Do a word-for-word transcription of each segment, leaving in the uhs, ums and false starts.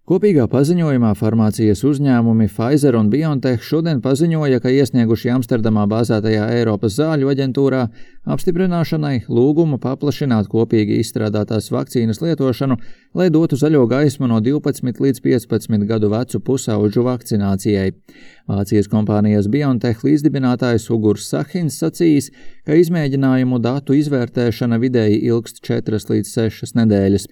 Kopīgā paziņojumā farmācijas uzņēmumi Pfizer un BioNTech šodien paziņoja, ka iesnieguši Amsterdamā bāzētajā Eiropas zāļu aģentūrā apstiprināšanai lūgumu paplašināt kopīgi izstrādātās vakcīnas lietošanu, lai dotu zaļo gaismu no divpadsmit līdz piecpadsmit gadu vecu pusauģu vakcinācijai. Vācijas kompānijas BioNTech līdzdibinātājs Ugurs Sahins sacījis, ka izmēģinājumu datu izvērtēšana vidēji ilgst četras līdz sešas nedēļas.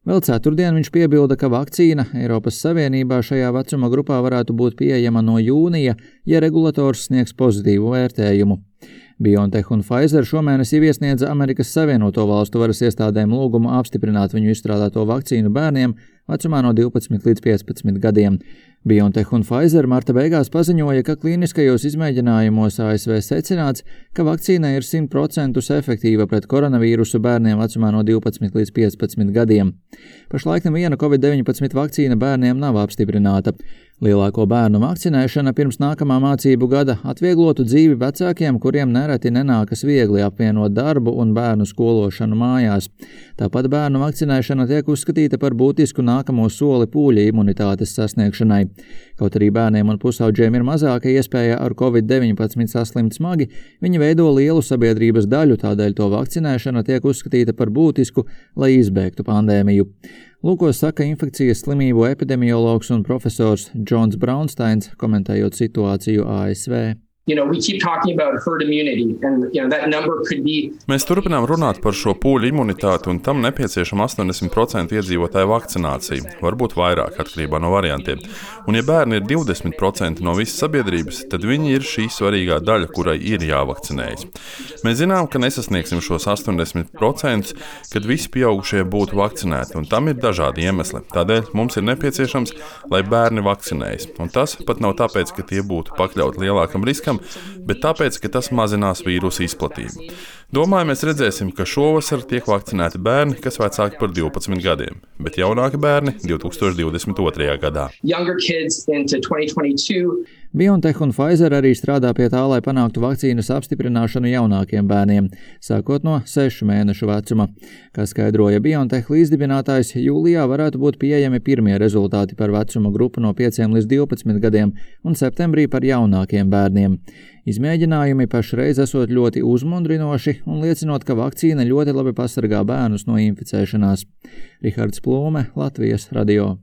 Vēl ceturtdien viņš piebilda, ka vakcīna Eiropas Savienībā šajā vecuma grupā varētu būt pieejama no jūnija, ja regulators sniegs pozitīvu vērtējumu. BioNTech un Pfizer šomēnes jau iesniedza Amerikas Savienoto Valstu varas iestādēm lūgumu apstiprināt viņu izstrādāto vakcīnu bērniem vecumā no divpadsmit līdz piecpadsmit gadiem. BioNTech un Pfizer marta beigās paziņoja, ka klīniskajos izmēģinājumos A S V secināts, ka vakcīna ir simt procentus efektīva pret koronavīrusu bērniem vecumā no divpadsmit līdz piecpadsmit gadiem. Pašlaik neviena covid deviņpadsmit vakcīna bērniem nav apstiprināta. Lielāko bērnu vakcinēšana pirms nākamā mācību gada atvieglotu dzīvi vecākiem, kuriem nereti nenākas viegli apvienot darbu un bērnu skološanu mājās. Tāpat bērnu vakcinēšana tiek uzskatīta par būtisku nākamo soli pūļa imunitātes sasniegšanai. Kaut arī bērniem un pusauģiem ir mazāka iespēja ar covid deviņpadsmit saslimt smagi, viņi veido lielu sabiedrības daļu, tādēļ to vakcinēšana tiek uzskatīta par būtisku, lai izbēgtu pandēmiju. Lūko saka infekcijas slimību epidemiologs un profesors Džons Braunsteins, komentējot situāciju A S V. You know, we keep talking about herd immunity, and you know, that number could be... Mēs turpinām runāt par šo pūļu imunitāti, un tam nepieciešama astoņdesmit procenti iedzīvotāju vakcinācija, varbūt vairāk atkarībā no variantiem. Un ja bērni ir divdesmit procenti no visas sabiedrības, tad viņi ir šī svarīgā daļa, kurai ir jāvakcinējas. Mēs zinām, ka nesasniegsim šos astoņdesmit procentus, kad visi pieaugušie būtu vakcinēti, un tam ir dažādi iemesli. Tādēļ mums ir nepieciešams, lai bērni vakcinējas. Un tas pat nav tāpēc, ka tie būtu pakļauti lielākam riskam, bet tāpēc, ka tas mazinās vīrusu izplatību. Domāju, mēs redzēsim, ka šovasar tiek vakcinēti bērni, kas vecāki par divpadsmit gadiem, bet jaunāki bērni divtūkstoš divdesmit otrajā gadā. BioNTech un Pfizer arī strādā pie tā, lai panāktu vakcīnas apstiprināšanu jaunākiem bērniem, sākot no sešu mēnešu vecuma. Kā skaidroja BioNTech līdzdibinātājs, jūlijā varētu būt pieejami pirmie rezultāti par vecuma grupu no pieciem līdz divpadsmit gadiem un septembrī par jaunākiem bērniem. Izmēģinājumi pašreiz esot ļoti uzmundrinoši un liecinot, ka vakcīna ļoti labi pasargā bērnus no inficēšanās. Rihards Plūme, Latvijas radio.